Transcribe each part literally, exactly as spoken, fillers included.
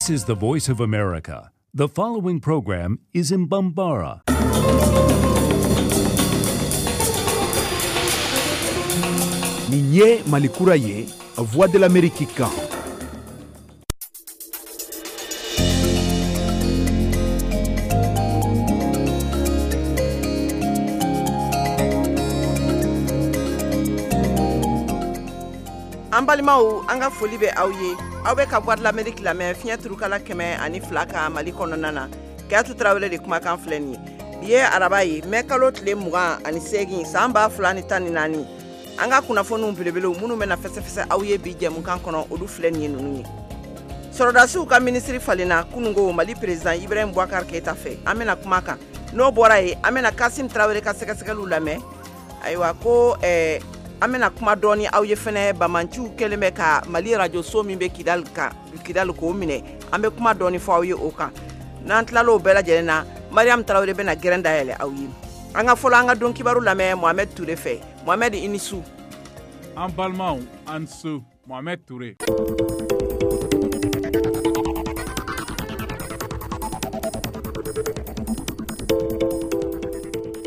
This is the Voice of America. The following program is in Bambara. Nin ye Malikura ye, Voix de l'Amérique kan. An balimaw, an ka foli bɛ aw ye. Aw bɛ ka Voix de l'Amérique lamɛn fiɲɛ turukala kɛmɛ ani fila kan Mali kɔnɔna na. Kayatu Tarawele de kumakan filɛ nin ye. Bi ye araba ye, mɛ kalo tile mugan ani seegin san ba fila ni tan ni naani. An ka kunnafoniw belebelew minnu bɛna fɛsɛfɛsɛ aw ye bi jɛmukan kɔnɔ, olu filɛ nin ye ninnu ye. Sɔrɔdasiw ka minisiri falenna kunungo Mali président Ibrahim Boubacar Keita fɛ. An bɛna kuma kan. N'o bɔra yen, an bɛna Kasim Tarawele ka sɛgɛsɛgɛliw lamɛn. Ayiwa ko ɛɛ an bɛna kuma dɔɔni aw ye fɛnɛ bamanciw kɛlen bɛ ka Mali radio so min bɛ Kidali kan, Kidali k'o minɛ. An bɛ kuma dɔɔni fɔ aw ye o kan. N'an tilal'o bɛɛ lajɛlen na, Mariam Tarawele bɛna gɛrɛn dayɛlɛ aw ye. An ka fɔlɔ an ka don kibaru lamɛn Mohamed Toure fɛ. Mohamed, i ni su. An balimaw, an su. Mohamed Toure.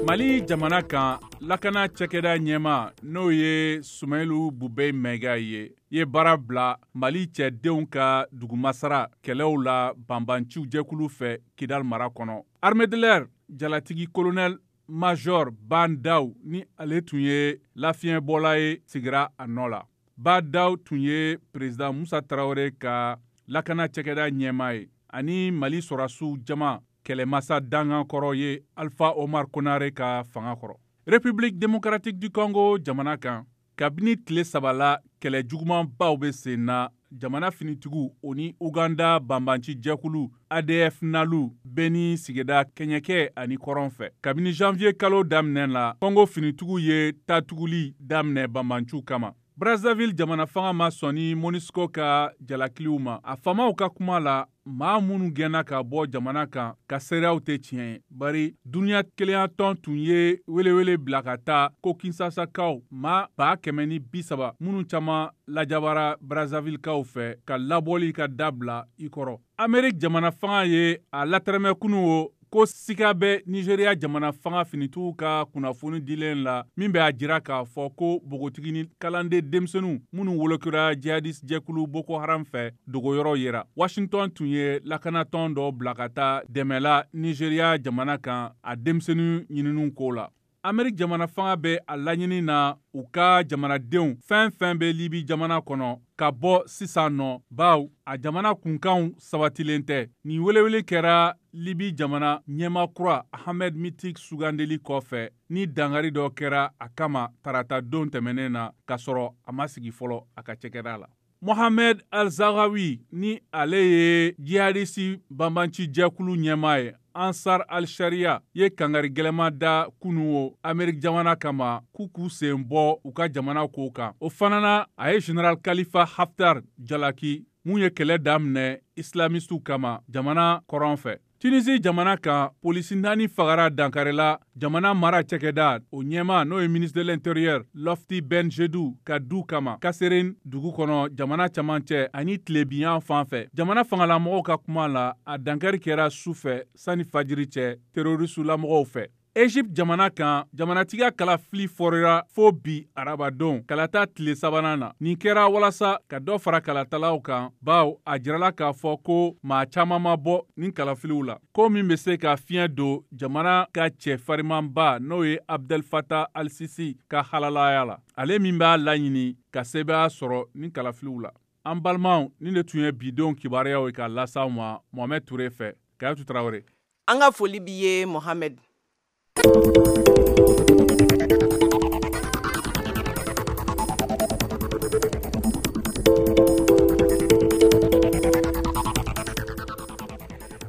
Mali jamana kan, lakana cakɛda ɲɛma n'o ye Sumayilu Bubɛyi Mɛga ye, ye baara bila Mali cɛdenw ka dugumasara kɛlɛw la banbanciw jɛkulu fɛ Kidal mara kɔnɔ. Armée de l'air jalatigi colonel major Bandaw ni ale tun ye lafiɲɛbɔla ye, sigira a nɔ la. Bandaw tun ye président Musa Tarawele ka lakana cakɛda ɲɛma ye ani Mali sɔrɔdasiw jama kɛlɛmasa dangan kɔrɔ ye Alpha Omar Konare ka fanga kɔrɔ. République démocratique du Congo jamana kan, kabini tile saba la kɛlɛ jugumanbaw bɛ sen na jamana finitigiw o ni Uganda banbanci jɛkulu A D F Nalu bɛ ni sigida kɛɲɛkɛ ani kɔrɔn fɛ. Kabini janvier kalo daminɛ la, Congo finitigiw ye tatuguli daminɛ banbanciw kama. Brazzaville jamana fanga ma sɔn MONUSCO ka jalakiliw ma. A faamaw ka kuma la, maa minnu gɛnna ka bɔ jamana kan ka seereyaw tɛ tiɲɛ ye, bari duniya kelenyatɔn tun ye welewele bila ka taa ko Kinsasakaw maa ba kɛmɛ ni bi saba minnu caman lajabara Brazzavillekaw fɛ ka labɔli ka dabila i kɔrɔ. Amérique jamana fanga ye a latɛrɛmɛ kunun o ko sika bɛ Nigeria jamana fanga finitigiw ka kunnafoni dilen la min bɛ a jira k'a fɔ ko npogotigi ni kalanden denmisɛnninw minnu wolokura jihadiste jɛkulu Boko Haram fɛ dogoyɔrɔ yera. Washington tun ye lakanatɔn dɔ bila ka taa dɛmɛ la Nigeria jamana kan a denmisɛnnin ɲininiw ko la. Amérique jamana fanga bɛ a laɲini na u ka jamanadenw fɛn fɛn bɛ Libi jamana kɔnɔ ka bɔ sisan nɔ, baw a jamana kunkanw sabatilen tɛ. Nin welewele kɛra Libi jamana ɲɛmaa kura Ahmed Mitik sugandeli kɔfɛ ni dangari dɔ kɛra a kama tarata don tɛmɛnen na k'a sɔrɔ a ma sigi fɔlɔ a ka cakɛda la. Mohamed Al-Zaghawi ni ale ye jihadisi banbanci jɛkulu ɲɛmaa ye Ansar al-Sharia ye kangari gɛlɛma da kunu o Amérique jamana kama k'u k'u sen bɔ u ka jamana kow kan. O fana na, a ye Général Khalifa Haftar jalaki mun ye kɛlɛ daminɛ islamistiw kama jamana kɔrɔn fɛ. Tunisie jamana kan, polisi naani fagara dankarila jamana mara cakɛda o ɲɛma n'o ye ministre de l'Intérieur Lofti Ben Jedou ka du kama Kasserine dugu kɔnɔ jamana camancɛ ani tilebiyan fan fɛ. Jamana fangalamɔgɔw ka kuma la, a dankari kɛra su fɛ sani fajiri cɛ terroriste-lamɔgɔw fɛ. Egypte jamana kan, jamanatigiya kalafili fɔrira fo bi arabadon kalata tile sabanan na. Nin kɛra walasa ka dɔ fara kalatalaw kan, baw a jirala k'a fɔ ko maa caman ma bɔ nin kalafiliw la. Ko min bɛ se ka fiɲɛ don jamana ka cɛ farimanba n'o ye Abdel Fattah al-Sisi ka halalaya la. Ale min b'a laɲini ka sebaaya sɔrɔ nin kalafiliw la. An balimaw, nin de tun ye bidenw kibaruyaw ye k'a las'aw ma Mohamed Toure fɛ. Kayatu Tarawele. An ka foli b'i ye Mohamed.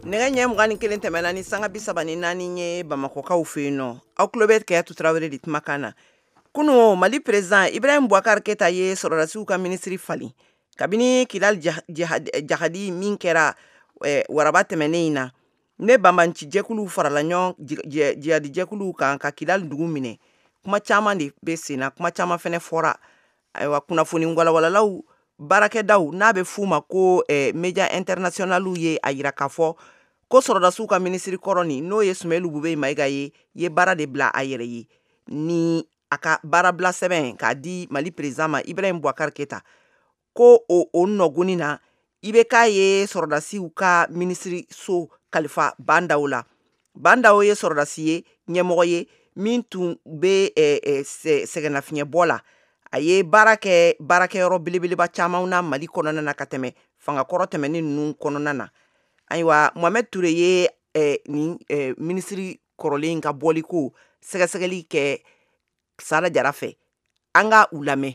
Nɛgɛ ɲɛ mugan ni kelen tɛmɛna ni sanga bi saba ni naani ye Bamakɔkaw fɛ yen nɔ. Aw tulo bɛ Kayatu Tarawele de kumakan na. Kunun Mali président Ibrahim Boubacar Keita ye sɔrɔdasiw ka minisiri falen. Kabini Kidal jahadi min kɛra waraba tɛmɛnen in na, ne banbanci jɛkuluw farala ɲɔgɔn jihadi jɛkuluw kan ka Kidal dugu minɛ. Kuma caman de bɛ sen na, kuma caman fɛnɛ fɔra. Ayiwa, kunnafoni walawalalaw Baarakɛdaw n'a bɛ f'u ma ko eh, media internationalu ye a yira k'a fɔ ko sɔrɔdasiw ka minisiri kɔrɔ nin n'o ye Sumelu Bubɛyi Mayiga ye ye baara de bila a yɛrɛ ye ni a ka baarabila sɛbɛn k'a di Mali président ma Ibrahim Boubacar Keita ko o o nɔgɔni na I B K ye sɔrɔdasiw ka minisiri so kalifa Bandaw la. Bandaw ye sɔrɔdasi ye ɲɛmɔgɔ ye min tun bɛ eh, eh, sɛgɛnnafiɲɛbɔ la. A ye baara kɛ baarakɛyɔrɔ belebeleba caman na Mali kɔnɔna na ka tɛmɛ fangakɔrɔ tɛmɛnen ninnu kɔnɔna na. Ayiwa Mohamed Touré ye eh, nin eh, minisiri kɔrɔlen ka bɔli ko sɛgɛsɛgɛli kɛ Sada Jara fɛ. An ka u lamɛn.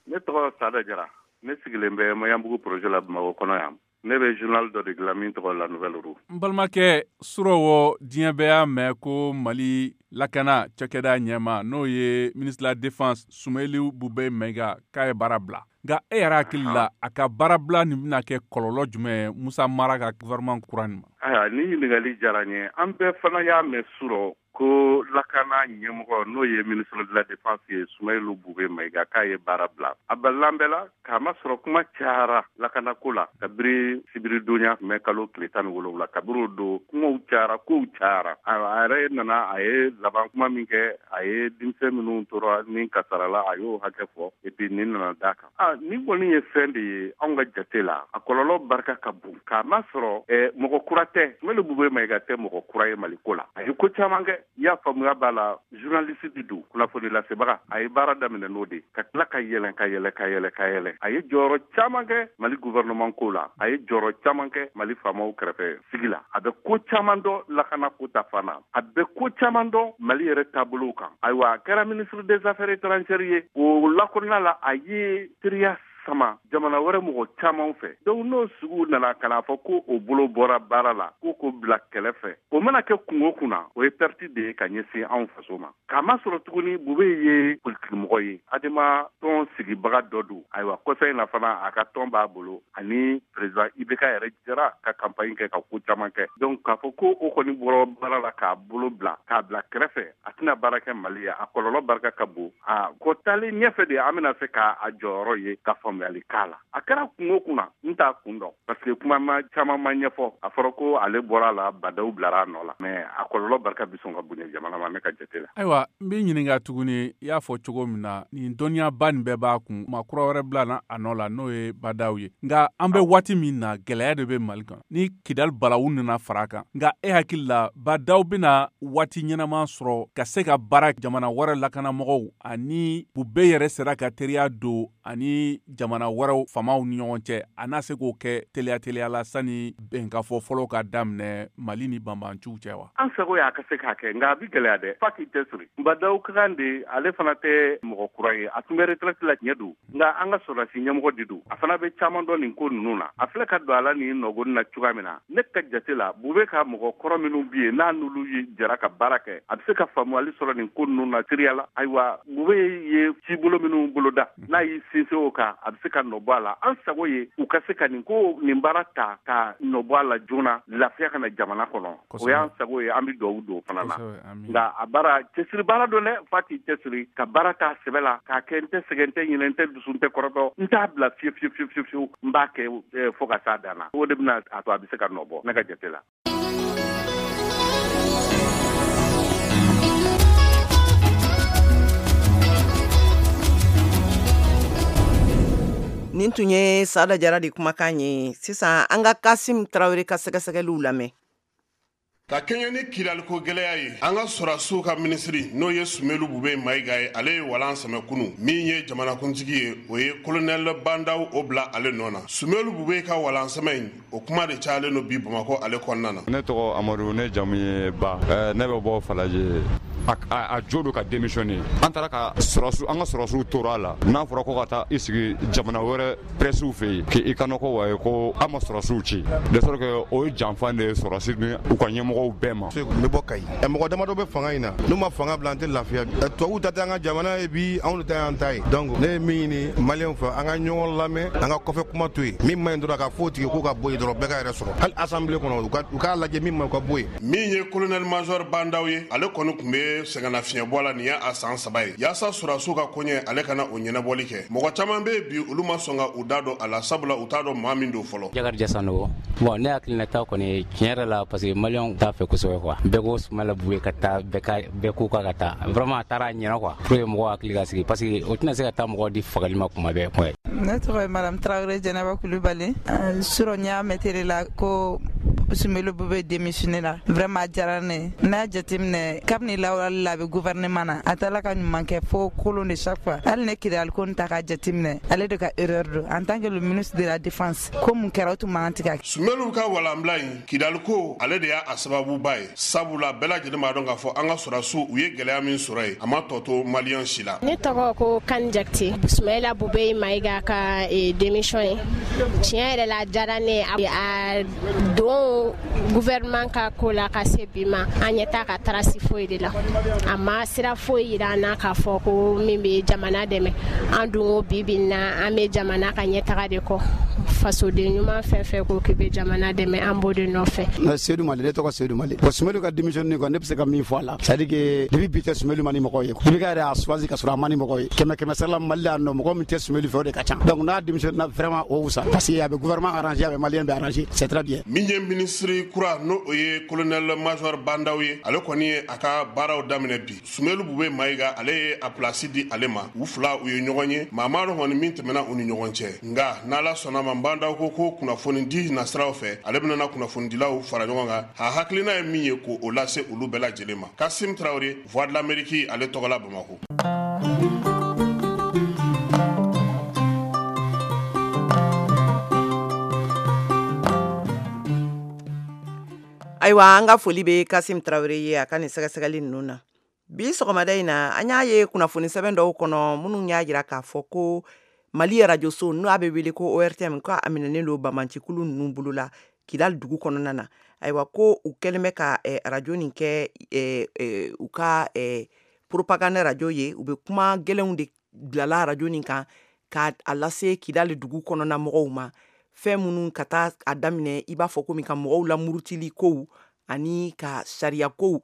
Ne tɔgɔ Sada Jara. Ne sigilen bɛ Maɲanbugu projet la Bamakɔ kɔnɔ yan. Ne bɛ journal dɔ de dilan min tɔgɔ La Nouvelle Roue. N balimakɛ surɔwɔ diɲɛ bɛɛ y'a mɛn ko Mali lakana cakɛda ɲɛma n'o ye ministre de la défense Sumelu Bubɛyi Mayiga k'a ye baara bila. Nka e yɛrɛ hakili la a ka baarabila nin bɛna kɛ kɔlɔlɔ jumɛn ye Musa Mara ka gouvernement kura nin ma? Ayiwa ni ɲininkali diyara n ye. An bɛɛ fana y'a mɛn surɔ ko lakana ɲɛmɔgɔ n'o ye ministre de la défense ye Sumelu Bubɛyi Mayiga k'a ye baara bila. A balilan bɛɛ la k'a masɔrɔ kuma cayara lakanako la kabiri sibiridonya mɛ kalo tile tan ni wolonwula kabiri o don kumaw cayara kow cayara. A yɛrɛ nana a ye laban kuma min kɛ a ye denmisɛn minnu tora ni kasarala a y'o hakɛ fɔ et puis nin nana d'a kan. A nin kɔni ye fɛn de ye anw ka jate la a kɔlɔlɔ barika ka bon k'a masɔrɔ mɔgɔ kura tɛ. Sumelu Bubɛyi Mayiga tɛ mɔgɔ kura ye Maliko la. A ye ko caman kɛ. I y'a faamuya b'a la journaliste de don kunnafoni lasebaga a ye baara daminɛ n'o de ka tila ka yɛlɛn ka yɛlɛ ka yɛlɛ ka yɛlɛ a ye jɔyɔrɔ caman kɛ Mali gouvernement ko la a ye jɔyɔrɔ caman kɛ Mali faamaw kɛrɛfɛ sigi la a bɛ ko caman dɔn lakana ko ta fan na a bɛ ko caman dɔn Mali yɛrɛ taabolow kan. Ayiwa a kɛra ministre des affaires étrangères ye o lakɔnɔna la a ye teriya sama jamana wɛrɛ mɔgɔ caman fɛ. Donc n'o sugu nana ka n'a fɔ ko o bolo bɔra baara la ko k'o bila kɛlɛ fɛ o mana kɛ kungo kunna o ye perte de ye ka ɲɛsin anw faso ma. K'a masɔrɔ tuguni Bubɛyi ye politikimɔgɔ ye Adema tɔn sigibaga dɔ don. Ayiwa kɔsa in na fana a ka tɔn b'a bolo ani président I B K yɛrɛ jɛra ka campagne kɛ ka ko caman kɛ. Donc k'a fɔ ko o kɔni bɔra baara la k'a bolo bila k'a bila kɛrɛfɛ a tɛna baara kɛ Mali ye a kɔlɔlɔ barika ka bon. A ko taalen ɲɛfɛ de an bɛna se k'a jɔyɔrɔ ye ka faamu k'a la. A kɛra kungo kunna n t'a kun dɔn parce que kuma ma caman ma ɲɛfɔ. A fɔra ko ale bɔra la Badaw bilara a nɔ la mais a kɔlɔlɔ barika bɛ sɔn ka bonya jamana ma ne ka jate la. Ayiwa n b'i ɲininka tuguni i y'a fɔ cogo min na nin dɔnniyaba nin bɛɛ b'a kun maa kura wɛrɛ bila a nɔ la n'o ye Badaw ye. Nka an bɛ waati min na gɛlɛya de bɛ Mali kan ni Kidali balawu nana fara a kan. Nka e hakili la Badaw bɛna waati ɲɛnama sɔrɔ ka se ka baara jamana wɛrɛ lakanamɔgɔw ani Bubɛyi yɛrɛ sera ka teriya don ani jamana wɛrɛw faamaw ni ɲɔgɔn cɛ a n'a se k'o kɛ teliya teliya la sani bɛnkafɔ fɔlɔ ka daminɛ Mali ni banbanciw cɛ wa? An sago y'a ka se k'a kɛ nka a bɛ gɛlɛya dɛ f'a k'i cɛsiri. Badaw ka kan de ale fana tɛ mɔgɔ kura ye a tun bɛ retraite la tiɲɛ don nka an ka sɔrɔdasi ɲɛmɔgɔ de don a fana bɛ caman dɔn nin ko ninnu na. A filɛ ka don a la nin nɔgɔni na cogoya min na ne ka jate la Bubɛyi ka mɔgɔ kɔrɔ minnu bɛ yen n'a n'olu ye jɛra ka baara kɛ a bɛ se ka faamuyali sɔrɔ nin ko ninnu na teriya la. Ayiwa Bubɛyi ye cibolo minnu boloda n'a y'i sinsin o kan a bɛ se ka nɔ bɔ a la. An sago ye u ka se ka nin ko nin baara ta ka nɔ bɔ a la joona lafiya ka na jamana kɔnɔ. O y'an sago ye an bɛ dugawu don o fana na. Nka a baara cɛsiri baara don dɛ f'a k'i cɛsiri ka baara k'a sɛbɛ la k'a kɛ n tɛ sɛgɛn n tɛ ɲinɛ n tɛ dusu n tɛ kɔrɔtɔ n t'a bila fiyewu fiyewu fiyewu fiyewu n b'a kɛ fo ka s'a dan na. O de bɛna a to a bɛ se ka nɔ bɔ ne ka jate la. Nin tun ye Sada Jara de kumakan ye. Sisan an ka Kasim Tarawele ka sɛgɛsɛgɛliw lamɛn. Ka kɛɲɛ ni Kidaliko gɛlɛya ye an ka sɔrɔdasiw ka minisiri n'o ye Sumelu Bubɛyi Mayiga ye ale ye walan sɛmɛ kunu min ye jamanakuntigi ye o ye colonel Bandaw o bila ale nɔ na. Sumelu Bubɛyi ka walan sɛmɛ in o kuma de cayalen don bi Bamakɔ ale kɔnɔna na. Ne tɔgɔ Amadu ne jamu ye Ba ne bɛ bɔ Falajɛ. A jo don ka démissionner an taara ka sɔrɔsiw an ka sɔrɔsiw tora a la n'a fɔra ko ka taa i sigi jamana wɛrɛ presiw fɛ yen k'i ka nɔgɔ wa ye ko an ma sɔrɔsiw ci de sorte que o ye janfa de ye sɔrɔsi ni u ka ɲɛmɔgɔw bɛɛ ma. N bɛ bɔ Kayi mɔgɔ damadɔ bɛ fanga in na n'u ma fanga bila an tɛ lafiya. Tubabuw ta tɛ an ka jamana ye bi anw de ta y'an ta ye. Donc ne ye min ɲini maliyɛnw fɛ an ka ɲɔgɔn lamɛn an ka kɔfɛ kuma to yen min man ɲi dɔrɔn a ka fɔ o tigi k'o ka bɔ yen dɔrɔn bɛɛ ka yɛrɛ sɔrɔ hali assemblée kɔnɔ u k'a lajɛ min man ɲi u ka bɔ yen. Min ye colonel major Bandaw ye ale kɔni tun bɛ bɛ sɛgɛnnafiɲɛbɔ la nin ye a san saba ye yaasa sɔrɔdasiw ka koɲɛ ale kana o ɲɛnabɔli kɛ. Mɔgɔ caman bɛ bi olu ma sɔn ka u da don a la, sabula u t'a dɔn maa min don fɔlɔ. Jakarija Sanogo. Bon, ne hakilinata kɔni tiɲɛ yɛrɛ la, parce que maliyɛnw t'a fɛ kosɛbɛ quoi. Bɛɛ ko Soumaïla Boubèye ka taa, bɛɛ ka bɛɛ ko k'a ka taa. Vraiment a taara a ɲɛna quoi. Pour que mɔgɔw hakili ka sigi, parce que o tɛna se ka taa mɔgɔw di fagali ma kuma bɛɛ quoi. Ne tɔgɔ ye Madame Traoré Jɛnɛba Kulubali. Surɔ n y'a mɛn télé la ko Soumaïla Boubèye démissionné la. Vraiment a diyara ne ye. N'a jateminɛ kabini lawaleli la a bɛ gouvernement na, a taara ka ɲuman kɛ fo kolon de chaque fois. Hali ne Kidali ko ta k'a jateminɛ, ale de ka erreur don en tant que le ministre de la défense. Ko mun kɛra o tun man kan tɛ ka kɛ. Soumaïla ka walanbila in Kidali ko ale de y'a sababuba ye, sabula bɛɛ lajɛlen b'a dɔn k'a fɔ an ka sɔrɔdasiw u ye gɛlɛya min sɔrɔ yen, a ma tɔ to maliyɛn si la. Ne tɔgɔ ko Kani Jakite. Soumaïla Boubèye Maïga ka démission ye, tiɲɛ yɛrɛ la a diyara ne ye. A don gouvernement ka ko la ka se bi ma, an ɲɛ t'a ka trace foyi de la. A ma sira foyi yira an na k'a fɔ ko min bɛ jamana dɛmɛ. An dun ko bi bi in na an bɛ jamana ka ɲɛtaga de kɔ. Fasoden ɲuman fɛn fɛn ko k'i bɛ jamana dɛmɛ, an b'o de nɔfɛ. Ne Seydou Mali, ne tɔgɔ Seydou Mali. Bon, Soumaïla ka démission kɔni, ne bɛ se ka min fɔ a la, c'est à dire que depuis bi tɛ Soumaïla ma ni mɔgɔw ye. I B K yɛrɛ y'a choisi ka sɔrɔ a ma ni mɔgɔw ye. Kɛmɛ kɛmɛ sara la Mali la yan nɔ, mɔgɔ min tɛ Soumaïla fɛ o de ka ca. Donc n'a démission na vraiment o wusa, parce que a bɛ gouvernement arrangé, a bɛ maliyɛn bɛɛ arrangé, c'est très bien. Min ye ministre kura n'o o ye colonel major Bandaw ye, ale kɔni ye a ka baaraw daminɛ bi. Soumaïla Boubèye Maïga ale ye a place di ale ma. U fila u ye ɲɔgɔn ye, maa maa dɔn kɔni min tɛmɛna u ni ɲɔgɔn cɛ. Nka n'Ala sɔnna ma, Bandaw ko ko kunnafoni di nasiraw fɛ, ale bɛna na kunnafonidilaw fara ɲɔgɔn kan. A hakilina ye min ye k'o lase olu bɛɛ lajɛlen ma. Kasim Traoré, Voix de l'Amérique, ale tɔgɔ la Bamakɔ. Ayiwa, an ka foli bɛ Kasim Traoré ye a ka nin sɛgɛsɛgɛli ninnu na. Bi sɔgɔmada in na, an y'a ye kunnafoni sɛbɛn dɔw kɔnɔ minnu y'a jira k'a fɔ ko Mali arajoso n'o a bɛ wele ko O R T M, ko a minɛnen don banbaancikulu ninnu bolo la Kidali dugu kɔnɔna na. Ayiwa, ko u kɛlen bɛ ka arajo nin kɛ u ka propagande arajo ye. U bɛ kuma gɛlɛnw de bilala arajo nin kan k'a lase Kidali dugu kɔnɔna mɔgɔw ma. Fɛn minnu ka taa a daminɛ i b'a fɔ komi ka mɔgɔw lamurutili kow ani ka sariya kow,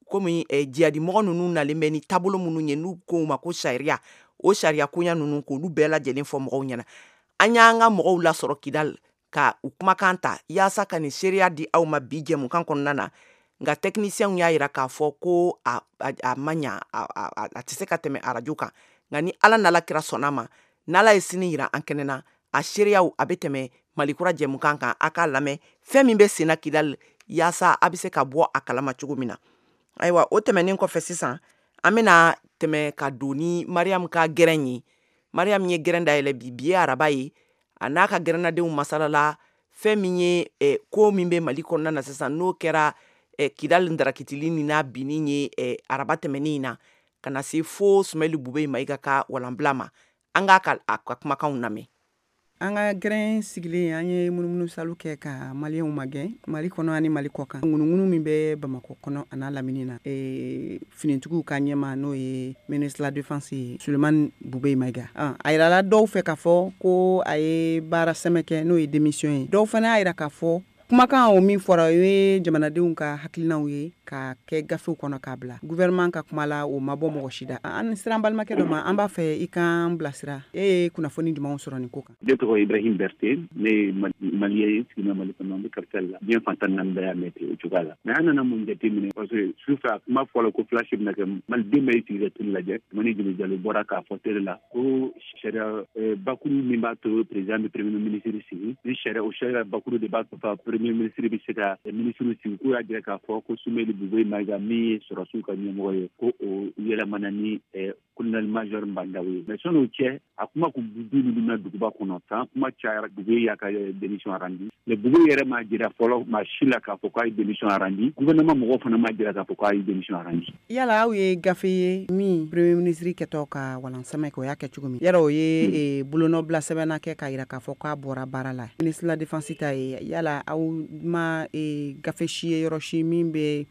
komi jihadimɔgɔ ninnu nalen bɛ ni taabolo minnu ye n'u ko ma ko sariya, o sariya koɲa ninnu k'olu bɛɛ lajɛlen fɔ mɔgɔw ɲɛna. An y'an ka mɔgɔw lasɔrɔ Kidali ka u kumakan ta yaasa ka nin seereya di aw ma bi jɛmukan kɔnɔna na. Nka techniciens y'a jira k'a fɔ ko a a ma ɲa, a a tɛ se ka tɛmɛ arajo kan. Nka ni Ala n'Ala kira sɔnna ma, n'Ala ye sini yira an kɛnɛ na, a seereyaw a bɛ tɛmɛ Malikura jɛmukan kan. A k'a lamɛn fɛn min bɛ senna Kidali yaasa a bɛ se ka bɔ a kalama cogo min na. Ayiwa, o tɛmɛnen kɔfɛ sisan, an bɛna tɛmɛ ka don ni Mariam ka gɛrɛn ye. Mariam ye gɛrɛn dayɛlɛ bi, bi ye araba ye. A n'a ka gɛrɛnnadenw masalala fɛn min ye eh, ko min bɛ Mali kɔnɔna na sisan, n'o kɛra eh, Kidali ndarakitili ni n'a binni ye eh, araba tɛmɛnen in na, ka na se fo Soumaïla Boubèye Maïga ka walanbila ma. An k'a ka a ka kumakanw lamɛn. An ka gɛrɛn sigilen, an ye munumunu salu kɛ ka maliyɛnw magɛn Mali kɔnɔ ani Mali kɔ kan. Ŋunuŋunu min bɛ Bamakɔ kɔnɔ a n'a lamini na, e, finitigiw ka ɲɛma n'o ye ministre de la défense ye Souleymane Boubèye Maïga. A yirala dɔw fɛ k'a fɔ ko a ye baara sɛmɛ kɛ n'o ye démission ye. Dɔw fana y'a yira k'a fɔ kumakan o min fɔra o ye jamanadenw ka hakilinaw ye ka kɛ gafew kɔnɔ k'a bila gouvernement ka kuma la, o ma bɔ mɔgɔ si da. An sera an balimakɛ dɔ ma, an b'a fɛ i k'an bilasira. E ye kunnafoni jumɛnw sɔrɔ nin ko kan? Ne tɔgɔ Ibrahim Berté, ne ye maliyɛn ye, sigina Mali kɔnɔ, n bɛ capitale la. Diɲɛ fantan naani bɛɛ y'a mɛn ten o cogoya la. Mais an nana mun jateminɛ, parce que sufɛ a kuma fɔla ko flash bɛna kɛ, maliden bɛɛ y'i sigi ka télé lajɛ. Tumani Jeli Jalo bɔra k'a fɔ télé la ko sariya bakuru min b'a to président bɛ premier ministre sigi, ni sariya o sariya bakuru de b'a to fa premier ministre bɛ se ka ministre sigi. K'o y'a jira k'a fɔ ko Soumaïla Boubèye Maïga min ye sɔrɔdasiw ka ɲɛmɔgɔ ye, ko o yɛlɛmana ni colonel major Bandaw ye. Mais sɔn'o cɛ, a kuma kun du ninnu na duguba kɔnɔ san kuma cayara, Boubèye y'a ka démission rendu. Mais Boubèye yɛrɛ m'a jira fɔlɔ maa si la k'a fɔ k'a ye démission rendu. Gouvernement mɔgɔw fana m'a jira k'a fɔ k'a ye démission rendu. Yala aw ye gafe ye min premier ministre kɛtɔ ka walansɛmɛ kɛ, o y'a kɛ cogo min, yala o ye bolonɔbila sɛbɛnna kɛ k'a jira k'a fɔ k'a bɔra baara la? Ministre de la défense ta ye, yala aw ma gafe si ye yɔrɔ si min bɛ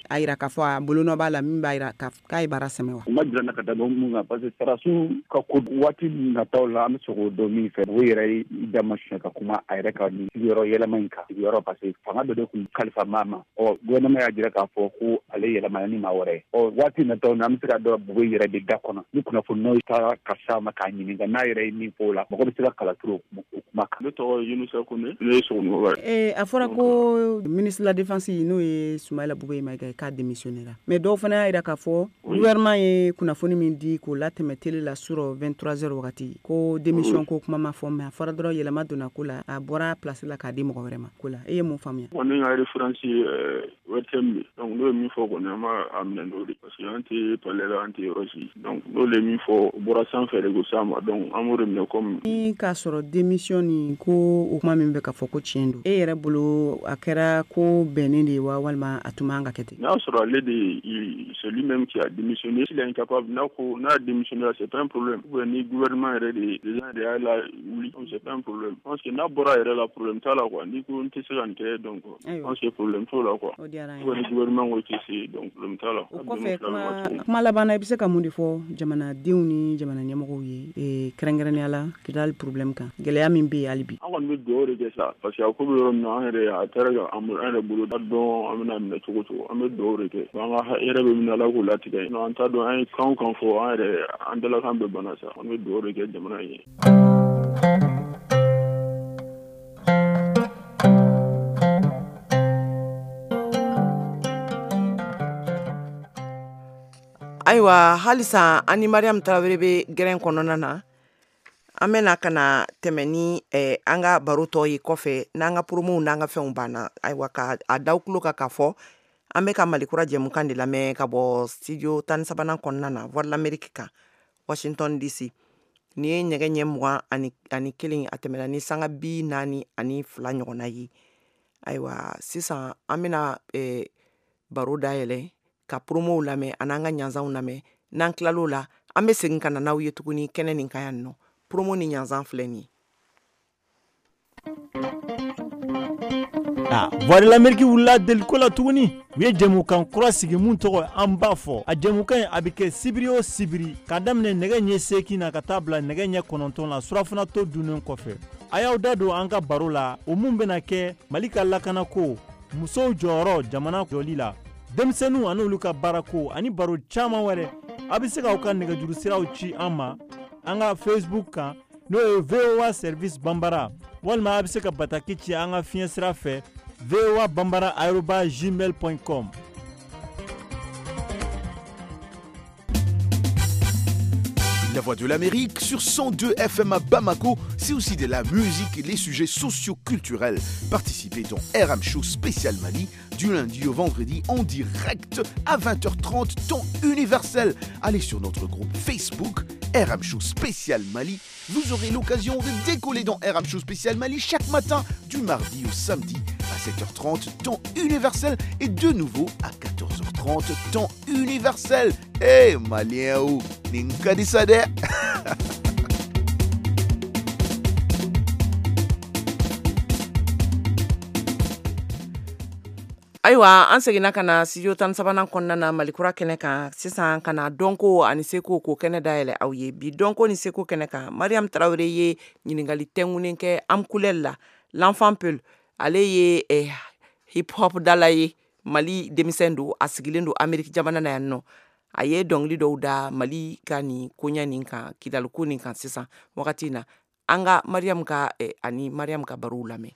a yira k'a fɔ a bolonɔ b'a la min b'a yira k'a ye baara sɛmɛ wa? U ma jira na ka da mun kan, parce que sɔrɔdasiw ka ko waati nataw la, an bɛ se k'o dɔn min fɛ, o yɛrɛ y'i da ma siɲɛ ka kuma a yɛrɛ ka nin sigiyɔrɔ yɛlɛma in kan, sigiyɔrɔ, parce que fanga dɔ de tun kalifa maa ma. Ɔ gouvernement y'a jira k'a fɔ ko ale yɛlɛmana ni maa wɛrɛ ye. Ɔ waati nataw na, an bɛ se ka dɔn Bube yɛrɛ de da kɔnɔ ni kunnafoniyaw taara ka s'a ma k'a ɲininka n'a yɛrɛ ye min fɔ o la, mɔgɔ bɛ se ka kala turu o kuma kan. Ne tɔgɔ ye Yunusa Kone, ne ye Sogonikɔba ye. Ee a fɔra ko ministre de la défense n'o ye Soumaïla Boubèye Maïga k'a démissionné la, mais dɔw fana y'a jira k'a fɔ gouvernement ye kunnafoni min di k'o latɛmɛ télé la surɔ vingt-trois heures wagati, ko démission ko kuma ma fɔ, mais a fɔra dɔrɔn yɛlɛma donna ko la, a bɔra place la k'a di mɔgɔ wɛrɛ ma ko la. E ye mun faamuya? Ne ka référence ye O R T M de, donc n'o ye min fɔ kɔni, an b'a minɛ n'o de, parce que an tɛ palais la, an tɛ yɔrɔ si, donc n'o de ye min fɔ, o bɔra sanfɛ de ko s'a ma, donc an b'o de minɛ comme. Ni k'a sɔrɔ démission nin ko o kuma min bɛ ka fɔ ko tiɲɛ don, e yɛrɛ bolo a kɛra ko bɛnnen de ye wa, walima a tun man ka kɛ ten? N'a sɔrɔ ale de, c'est lui-même qui a démissionné, s'il est incapable, n'a ko n'a démissionné, c'est pas un problème, ou bien ni gouvernement yɛrɛ de président de y'a la wuli, c'est pas un problème. Je pense que n'a bɔra yɛrɛ la, problème t'a la quoi, n'i ko n tɛ se ka nin kɛ, donc je pense que problème t'o la quoi. O diyara an ye. Ou bien ni gouvernement ko i tɛ se, donc problème t'a la. O kɔfɛ, kuma kuma laban na, i bɛ se ka mun de fɔ jamanadenw ni jamana ɲɛmɔgɔw ye, kɛrɛnkɛrɛnnenya la Kidali problème kan, gɛlɛya min bɛ yen hali bi? An kɔni bɛ dugawu de kɛ sa, parce que a ko bɛ yɔrɔ min na, an yɛrɛ a taara ka an yɛrɛ bolo da dɔn, an bɛna minɛ cogo cogo, an bɛ dugawu de kɛ, an ka hɛrɛ bɛ min na, Ala k'o latigɛ, an t'a dɔn an ye kan o kan fɔ, an yɛrɛ an dalakan bɛɛ banna sa, an bɛ dugawu de kɛ jamana ye. Ayiwa, halisa an ni Mariam Tarawele bɛ gɛrɛn kɔnɔna na, an bɛna ka na tɛmɛ ni eh, an ka baro tɔ ye kɔfɛ n'an ka promow n'an ka fɛnw banna. Ayiwa, ka a daw tulo kan k'a fɔ an bɛ ka Malikura jɛmukan de lamɛn ka bɔ studio tan ni sabanan kɔnɔna na, Voix de l'Amérique kan, Washington D C. Nin ye nɛgɛ ɲɛ mugan ani, ani kelen, a tɛmɛna ni sanga bi naani ani fila ɲɔgɔnna ye. Ayiwa, sisan an bɛna eh, baro dayɛlɛ ka promow lamɛn an'an ka ɲanzanw lamɛn. N'an tilal'o la, an bɛ segin ka na n'aw ye tuguni kɛnɛ nin kan yan nɔ. Promo ni ɲanzan filɛ nin ye. Ah, Voix de l'Amérique wulila deliko la tuguni. U ye jɛmukan kura sigi mun tɔgɔ an b'a fɔ. A jɛmukan in a bɛ kɛ sibiri o sibiri k'a daminɛ nɛgɛ ɲɛ seegin na ka taa bila nɛgɛ ɲɛ kɔnɔntɔn la surafana to dunnen kɔfɛ. A y'aw da don an ka baro la, o mun bɛna kɛ Mali ka lakanako, musow jɔyɔrɔ jamana jɔli la, denmisɛnninw ani olu ka baarako ani baro caman wɛrɛ. A bɛ se k'aw ka nɛgɛjuru siraw ci an ma an ka Facebook kan, n'o ye V O A Service Bambara, walima a bɛ se ka bataki ci an ka fiɲɛ sira fɛ V O A Bambara arobase gmail point com. La Voix de l'Amérique sur cent deux F M à Bamako, c'est aussi de la musique et les sujets socio-culturels. Participez dans R M Show spécial Mali du lundi au vendredi en direct à vingt heures trente temps universel. Allez sur notre groupe Facebook R M Show spécial Mali. Vous aurez l'occasion de décoller dans R M Show spécial Mali chaque matin du mardi au samedi à sept heures trente temps universel et de nouveau à quatorze heures trente temps universel. Hey Malien ou Ninkadisade. Ayiwa, an seginna ka na studio tan ni sabanan kɔnɔna na Malikura kɛnɛ kan sisan, ka na dɔnko ani seko k'o kɛnɛ dayɛlɛ aw ye. Bi dɔnko ni seko kɛnɛ kan, Mariam Tarawele ye ɲininkali tɛnkunnen kɛ Amkulel la, l'enfant Peul. Ale ye eh, hip hop dala ye, Mali denmisɛn don, a sigilen don Amérique jamana na yan nɔ. A ye dɔnkili dɔw da Mali ka nin koɲɛ nin kan, Kidaliko nin kan sisan wagati in na. An ka Mariam ka eh, ani Mariam ka barow lamɛn.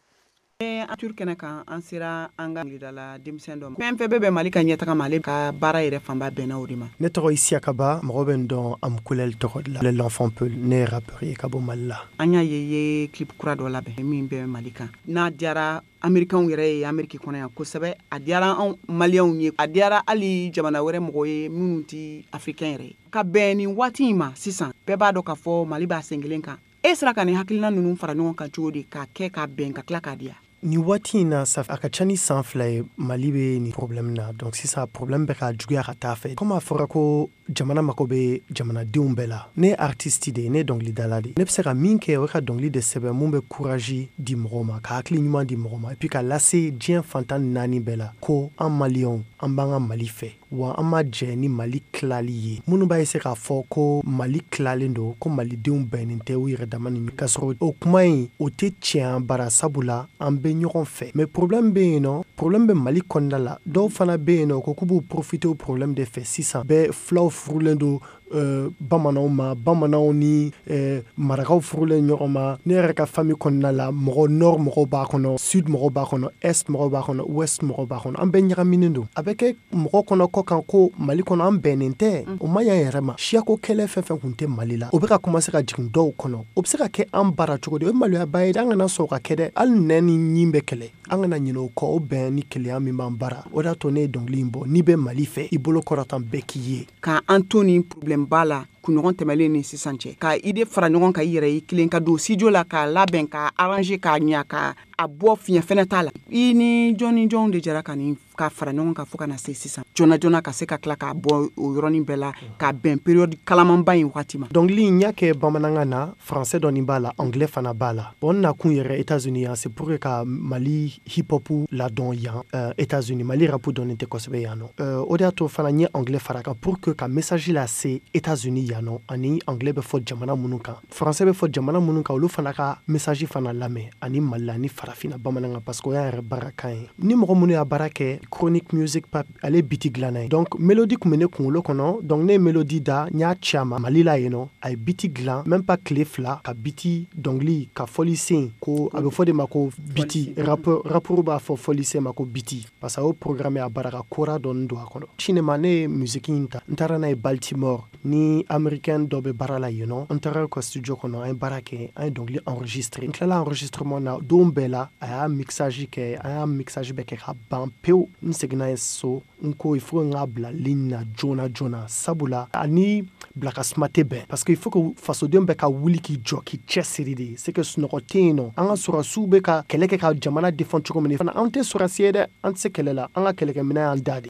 An tur kɛnɛ kan, an sera an ka dala denmisɛn dɔ ma. Fɛn fɛn bɛ bɛn Mali ka ɲɛtaga ma, ale ka baara yɛrɛ fanba bɛnna o de ma. Ne tɔgɔ Isiaka Ba, mɔgɔ bɛ n dɔn Amkulel tɔgɔ de la, l'enfant Peul, ne ye rappeur ye ka bɔ Mali la. An y'a ye i ye clip kura dɔ labɛn min bɛ Mali kan. N'a diyara Américains yɛrɛ ye Amérique kɔnɔ yan kosɛbɛ, a diyara anw Maliyɛnw ye, a diyara hali jamana wɛrɛ mɔgɔw ye minnu tɛ Africain yɛrɛ ye. Ka bɛn nin waati in ma sisan, bɛɛ b'a dɔn k'a fɔ Mali b'a sen kelen kan. E sera ka nin hakilina ninnu fara ɲɔgɔn kan cogo di k'a kɛ k'a bɛn ka tila k'a diya? Nin waati in na, sa a ka ca ni san fila ye Mali bɛ nin problème na. Donc sisan problème bɛ ka juguya ka taa fɛ. Comme a fɔra ko jamana mako bɛ jamanadenw bɛɛ la, ne ye artiste de ye, ne ye dɔnkilidala de ye. Ne bɛ se ka min kɛ, o ye ka dɔnkili de sɛbɛn mun bɛ courage di mɔgɔw ma, ka hakili ɲuman di mɔgɔw ma, et puis ka lase diɲɛ fantan ni naani bɛɛ la ko an Maliyɛnw, an b'an ka Mali fɛ, wa an ma jɛ ni Mali tilali ye. Minnu b'a essayer k'a fɔ ko Mali tilalen don, ko Malidenw bɛnnen tɛ u yɛrɛ dama ni k'a sɔrɔ o kuma in o tɛ tiɲɛ an bara, sabula an bɛ ɲɔgɔn fɛ. Mais problème bɛ yen nɔ, problème bɛ Mali kɔnɔna la. Dɔw fana bɛ yen nɔ ko k'u b'u profiter o problème de fɛ sisan. Bɛɛ filaw furulen don euh, bamananw ma, bamananw ni euh, marakaw furulen ɲɔgɔn ma. Ne yɛrɛ ka famille kɔnɔna la, mɔgɔ nord mɔgɔw b'a kɔnɔ, sud mɔgɔw b'a kɔnɔ, est mɔgɔw b'a kɔnɔ, ouest mɔgɔw b'a kɔnɔ. An bɛɛ ɲagaminen don. A bɛ kɛ mɔgɔ kɔnɔ kɔ kan ko Mali kɔnɔ an bɛnnen tɛ. O ma ɲi an yɛrɛ ma. Siyako kɛlɛ fɛn fɛn kun tɛ Mali la, o bɛ ka commencer ka jigin dɔw kɔnɔ. O bɛ se ka kɛ an bara cogo di? O ye maloyaba ye. An kana sɔn o ka kɛ dɛ. Hali nɛn ni ɲin bɛ kɛlɛ, an kana ɲinɛ o kɔ. O bɛn ni kelenya min b'an bara, o de y'a to ne ye dɔnkili in bɔ. N'i bɛ Mali fɛ, i bolo kɔrɔtan bɛɛ k'i ye. K'an to nin problème ba la kunɲɔgɔn tɛmɛlen ni sisan cɛ, ka idée fara ɲɔgɔn kan i yɛrɛ ye kelen, ka don studio la k'a labɛn, k'a arranger, k'a ɲa, ka a bɔ fiɲɛ fɛnɛ t'a la. I ni jɔn ni jɔnw de jɛra ka nin ka fara ɲɔgɔn kan fo ka na se sisan joona joona ka se ka tila k'a bɔ o yɔrɔnin bɛɛ la ka bɛn période kalamanba in wagati ma? Dɔnkili in, n y'a kɛ bamanankan na, français dɔɔni b'a la, anglais fana b'a la. Bon, n nakun yɛrɛ États-Unis yan, c'est pour que ka Mali hip hop ladɔn yan euh, États-Unis. Mali rap dɔnnen tɛ kosɛbɛ yan nɔ. euh, o de y'a to fana n ye anglais fara kan pour que ka message lase États-Unis yan nɔ, ani anglais bɛ fɔ jamana minnu kan, français bɛ fɔ jamana minnu kan, olu fana ka message fana lamɛn, ani Mali la ani farafinna bamanankan, parce que o y'an yɛrɛ baara kan ye. Ni mɔgɔ minnu y'a baara kɛ, Chronic Music Pap, ale beat dilanna ye. Donc mélodie kun bɛ ne kunkolo kɔnɔ, donc ne ye mélodie da, n y'a ci a ma Mali la yen nɔ, a ye beat dilan même pas tile fila ka beat dɔnkili ka fɔli sen ko a bɛ fɔ de ma ko beat rappeur, rappeur b'a fɔ fɔli sen ma ko beat, parce que a y'o programme a bara ka kora dɔɔni don a kɔnɔ. Cinéma, ne ye musique in ta, n taara n'a ye Baltimore, ni américain dɔ bɛ baara la yen nɔ. N taara ka studio kɔnɔ, an ye baara kɛ, an ye dɔnkili enregistré. N tilala enregistrement na don bɛɛ la, a y'a mixage kɛ, an y'a mixage bɛɛ kɛ ka ban pewu. N seginna ye so, n ko il faut n k'a bila ligne na joona joona, sabula ani bila ka suma tɛ bɛn, parce que il faut que fasoden bɛɛ ka wuli k'i jɔ k'i cɛsiri de. C'est que sunɔgɔ tɛ yen nɔ. An ka sɔrɔsiw bɛ ka kɛlɛ kɛ ka jamana défend cogo min fana, an tɛ sɔrɔsi ye dɛ, an tɛ se kɛlɛ la, an ka kɛlɛkɛminɛn y'an da de.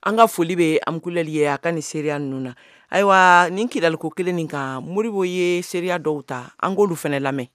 An ka foli bɛ Amkulɛli ye a ka nin seereya ninnu na. Ayiwa, nin Kidaliko kelen nin kan, Moribo ye seereya dɔw ta, an k'olu fɛnɛ lamɛn.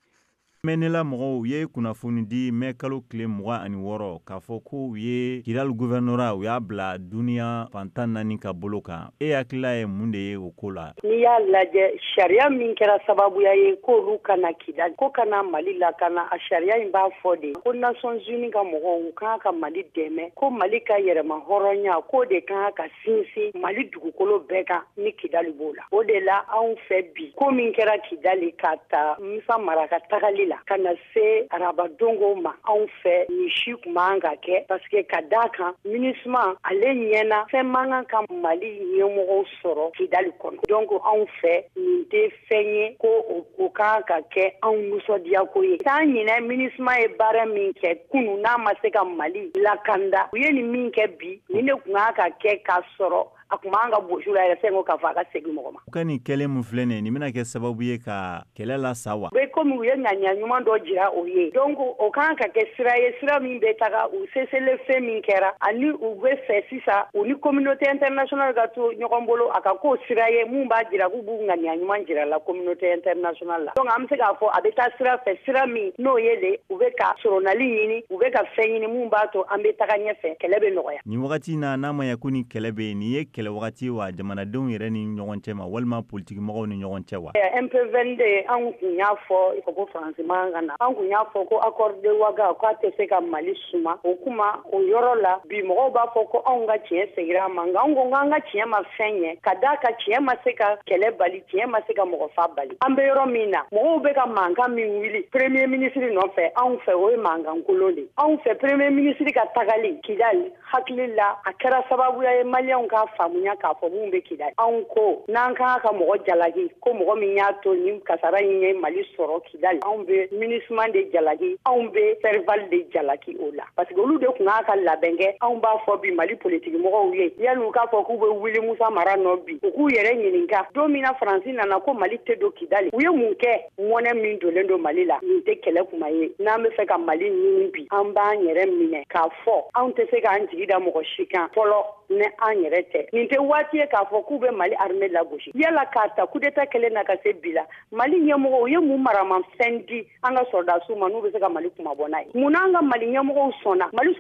M N L A mɔgɔw ye kunnafoni di mɛ kalo tile mugan ani wɔɔrɔ k'a fɔ ko u ye Kidali gouvernorat, u y'a bila duniya fantan naani ka bolo kan. E hakilila ye mun de ye o ko la? N'i y'a lajɛ, sariya min kɛra sababuya ye k'olu kana Kidali, ko kana Mali lakana, a sariya in b'a fɔ de ko Nations Unies ka mɔgɔw, u kan ka Mali dɛmɛ, ko Mali ka yɛrɛma hɔrɔnya, k'o de kan ka sinsin Mali dugukolo bɛɛ kan, ni Kidali b'o la. O de la, anw fɛ bi, ko min kɛra Kidali ka ta Musa Mara ka tagali la ka na se arabadongo ma, anw fɛ nin si kun man ka kɛ, parce que ka d'a kan MINUSMA ale ɲɛna, fɛn man kan ka Mali ɲɛmɔgɔw sɔrɔ Kidali kɔnɔ. Donc anw fɛ nin tɛ fɛn ye ko o kan ka kɛ anw nisɔndiya ko ye. T'an ɲinɛ MINUSMA ye baara min kɛ kunu, n'a ma se ka Mali lakanda, u ye nin min kɛ bi, nin de kun kan ka kɛ k'a sɔrɔ a kun b'an ka gosi la yɛrɛ fɛn ko k'a fɔ a ka segin mɔgɔ ma. U ka nin kɛlen mun filɛ nin ye, nin bɛna kɛ sababu ye ka kɛlɛ la sa wa? U bɛ komi u ye ŋaniya ɲuman dɔ jira o ye, donc o kan ka kɛ sira ye, sira min bɛ taga u seselen fɛn min kɛra, ani u bɛ fɛ sisan u ni communauté internationale ka to ɲɔgɔn bolo, a ka k'o sira ye mun b'a jira k'u b'u ŋaniya ɲuman jira la communauté internationale la. Donc an bɛ se k'a fɔ a bɛ taa sira fɛ, sira min n'o ye de u bɛ ka soronali ɲini, u bɛ ka fɛn ɲini mun b'a to an bɛ taga ɲɛfɛ, kɛlɛ bɛ nɔgɔya. Nin wagati in na, n'a ma ɲɛ ko ni kɛlɛ bɛ yen, nin ye kɛlɛ wagati wa jamanadenw yɛrɛ ni ɲɔgɔn cɛ ma, walima politikimɔgɔw ni ɲɔgɔn cɛ wa? M P vingt-deux, anw kun y'a fɔ ko Faransi man ka na, an kun y'a fɔ ko accord de Ouaga k'a tɛ se ka Mali suma. O kuma o yɔrɔ la bi, mɔgɔw b'a fɔ ko anw ka tiɲɛ seginna a ma, nka anw ko k'an ka tiɲɛ ma fɛn ɲɛ, ka d'a kan tiɲɛ ma se ka kɛlɛ bali, tiɲɛ ma se ka mɔgɔ fa bali. An bɛ yɔrɔ min na, mɔgɔw bɛ ka mankan min wuli premier ministre nɔfɛ, anw fɛ o ye mankan kolon de. Anw fɛ premier ministre ka tagali Kidali, hakili la a kɛra sababuya ye maliyɛnw k'a faamu. faamuya k'a fɔ mun bɛ Kidali. Anw ko n'an kan ka mɔgɔ jalaki, ko mɔgɔ min y'a to nin kasara in ye Mali sɔrɔ Kidali, anw bɛ MINUSMA de jalaki, anw bɛ Serval de jalaki o la, parce que olu de tun k'a ka labɛn kɛ. Anw b'a fɔ bi Mali politiki mɔgɔw ye, yanni u k'a fɔ k'u bɛ wuli Musa Mara nɔ bi, u k'u yɛrɛ ɲininka don min na Faransi nana ko Mali tɛ don Kidali, u ye mun kɛ? Mɔnɛ min donnen don Mali la, nin tɛ kɛlɛ kuma ye. N'an bɛ fɛ ka Mali ɲini bi, an b'an yɛrɛ minɛ k'a fɔ anw tɛ se k'an jigi da mɔgɔ si kan fɔlɔ ni an yɛrɛ tɛ. Nin tɛ waati ye k'a fɔ k'u bɛ Mali armée lagosi. Yala k'a ta coup d'état kɛlen na ka se bi la, Mali ɲɛmɔgɔw ye mun maramafɛn di an ka sɔrɔdasiw ma n'u bɛ se ka Mali kumabɔ n'a ye? Mun n'an ka Mali ɲɛmɔgɔw sɔnna Mali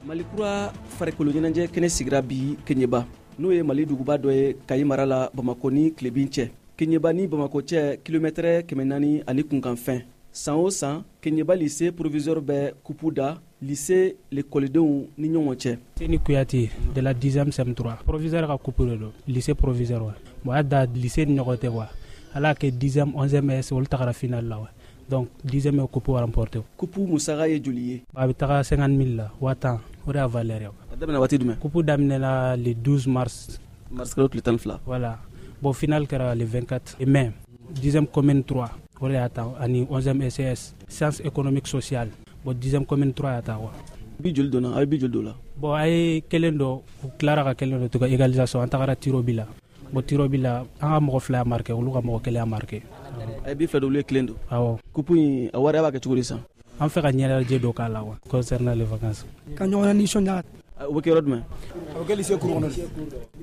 Mali kura farikolo ɲɛnajɛ kɛnɛ sigira bi Keɲeba, n'o ye Mali duguba dɔ ye Kayi mara la Bamakɔ ni tilebin cɛ. Keɲeba ni Bamakɔ cɛ kilomɛtɛrɛ kɛmɛ naani ani kunkanfɛn. San o san, Keɲeba lycée proviseur bɛ kupu da lycée lekɔlidenw ni ɲɔgɔn cɛ. Seni Kuyate de la dixième C M trois. Proviseur ka kupu de don, lycée proviseur wa. Bon, a da lycée ni ɲɔgɔn tɛ quoi. Ala kɛ dixième, onzième S olu tagara finale la wa. Donc dixième ye kupu remporté. Kupu musaka ye joli ye? A bɛ taga cinquante mille la, waa tan. O de y'a valeur ye. A daminɛ waati jumɛn? Kupu daminɛna le douze mars. Mars kalo tile tan ni fila. Voilà. Bon, finale kɛra le vingt-quatre mai. dixième commune trois o de y'a ta, ani onzième S S sciences économiques sociales. Bon, dixième commune trois y'a ta quoi. Bi joli donna? A ye bi joli don la? Bon, a ye kelen dɔ, u tilara ka kelen dɔ to ka égalisation, an tagara tir au but la. Bon, tir au but la, an ka mɔgɔ fila y'a marqué, olu ka mɔgɔ kelen y'a marqué. A ye bi fila don, olu ye kelen don. Awɔ. Kupu in a wari a b'a kɛ cogo di sisan? An fɛ ka ɲɛnajɛ dɔ k'a la quoi, concernant les vacances. Ka ɲɔgɔn nisɔndiya. O bɛ kɛ yɔrɔ jumɛn? A bɛ kɛ lycée kuru kɔnɔ.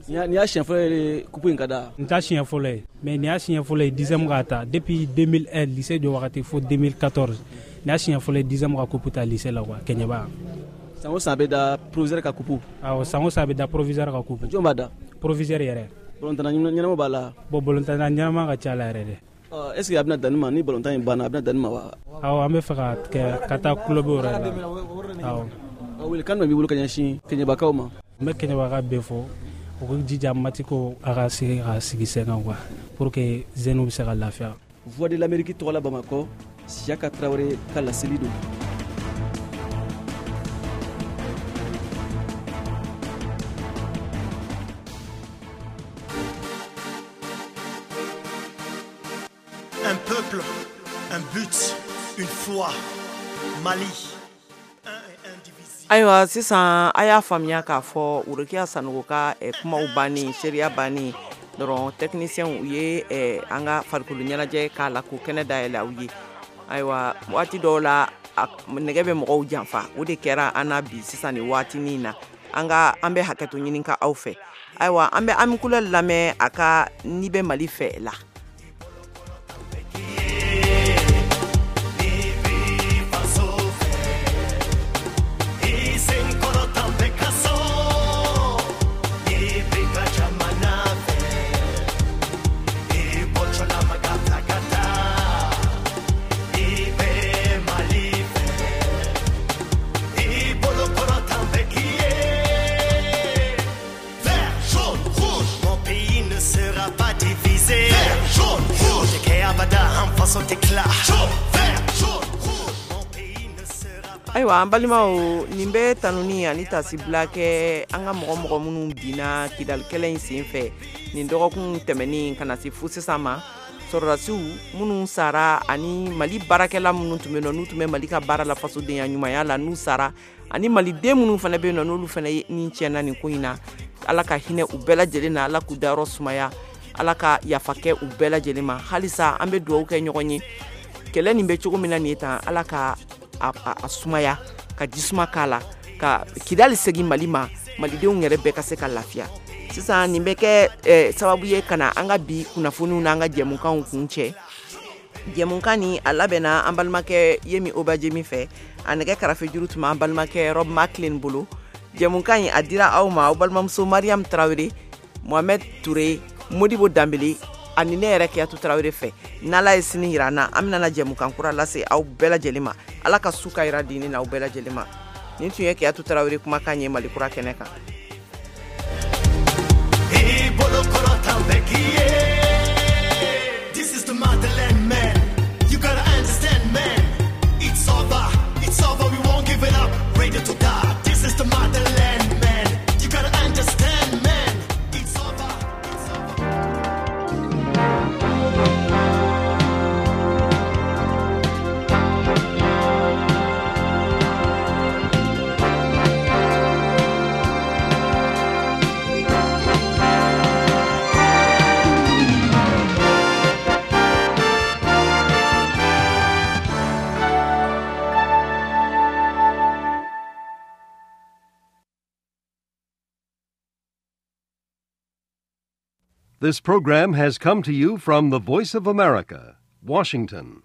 Nin y'a siɲɛ fɔlɔ ye kupu in ka da? Nin t'a siɲɛ fɔlɔ ye, mais nin y'a siɲɛ fɔlɔ ye dixième k'a ta depuis deux mille un lycée jɔ wagati fo deux mille quatorze. Nin y'a siɲɛ fɔlɔ ye dixième ka kupu ta lycée la quoi, Keɲeba. San o san a bɛ da proviseur ka kupu? Awɔ, san o san a bɛ da proviseur ka kupu. Jɔn b'a da? Proviseur yɛrɛ. Balontanna ɲɛnama b'a la? Bon, balontanna ɲɛnama ka ca la yɛrɛ dɛ. Est ce que a bɛna danni ma ni balontan in banna, a bɛna danni ma wa? Awɔ, an bɛ fɛ ka kɛ ka taa club yɛrɛ la. Awɔ. Welekan jumɛn b'i bolo ka ɲɛsin Keɲebakaw ma? N bɛ Keɲebaka bɛɛ fɔ, u k'u jija matiko a ka se ka sigi sen kan quoi, pour que jeunes bɛ se ka lafiya. Voix de l'Amérique tɔgɔ la Bamakɔ, Siyaka Tarawele ka laseli don. Un peuple, un but, une foi, Mali. Ayiwa, sisan a y'a faamuya k'a fɔ Worokiya Sanogo ka eh, kumaw bannen, seereya bannen dɔrɔn, technicien u ye eh, an ka farikolo ɲɛnajɛ k'a la k'o kɛnɛ dayɛlɛ aw ye. Ayiwa, waati dɔw la nɛgɛ bɛ mɔgɔw janfa, o de kɛra an na bi sisan nin waatinin na. An ka an bɛ hakɛto ɲini ka aw fɛ. Ayiwa, an bɛ Ami Kulɛli lamɛn a ka N'i bɛ Mali fɛ la. Ayiwa, an balimaw, nin bɛ tanuni ani tasibila kɛ an ka mɔgɔ mɔgɔ minnu binna Kidali kɛlɛ in sen fɛ nin dɔgɔkun tɛmɛnen ka na se fo sisan ma. Sɔrɔdasiw minnu sara ani Mali baarakɛla minnu tun bɛ yen nɔ, n'u tun bɛ Mali ka baara la fasodenya ɲumanya la, n'u sara, ani maliden minnu fana bɛ yen nɔ, n'olu fana ni tiɲɛna nin ko in na, Ala ka hinɛ u bɛɛ lajɛlen na, Ala k'u dayɔrɔ sumaya, Ala ka yafa kɛ u bɛɛ lajɛlen ma. Halisa an bɛ dugawu kɛ ɲɔgɔn ye, kɛlɛ nin bɛ cogo min na nin ye tan, Ala ka a, a, a sumaya, ka jisuma k'a la, ka Kidali segin Mali ma, malidenw yɛrɛ bɛɛ ka se ka lafiya. Sisan nin bɛ kɛ eh, sababu ye ka na an ka bi kunnafoniw n'an ka jɛmukanw kun cɛ. Jɛmukan nin a labɛnna an balimakɛ Yemi Obajemi fɛ, a nɛgɛ karafejuru tun b'an balimakɛ Rob Maclean bolo. Jɛmukan in a dira aw ma, aw balimamuso Mariam Tarawele, Mohamed Touré, Modibo Danbele ani ne yɛrɛ Kiyatu Tarawele fɛ. N'Ala ye sini yira an na, an bɛna jɛmukan kura lase aw bɛɛ lajɛlen ma. Ala ka su ka yira di ne n'aw bɛɛ lajɛlen ma. Nin tun ye Kiyatu Tarawele kumakan ye Mali kura kɛnɛ kan. This is the motherland, man. You gotta understand, man. It's over, it's over, we won't This program has come to you from the Voice of America, Washington.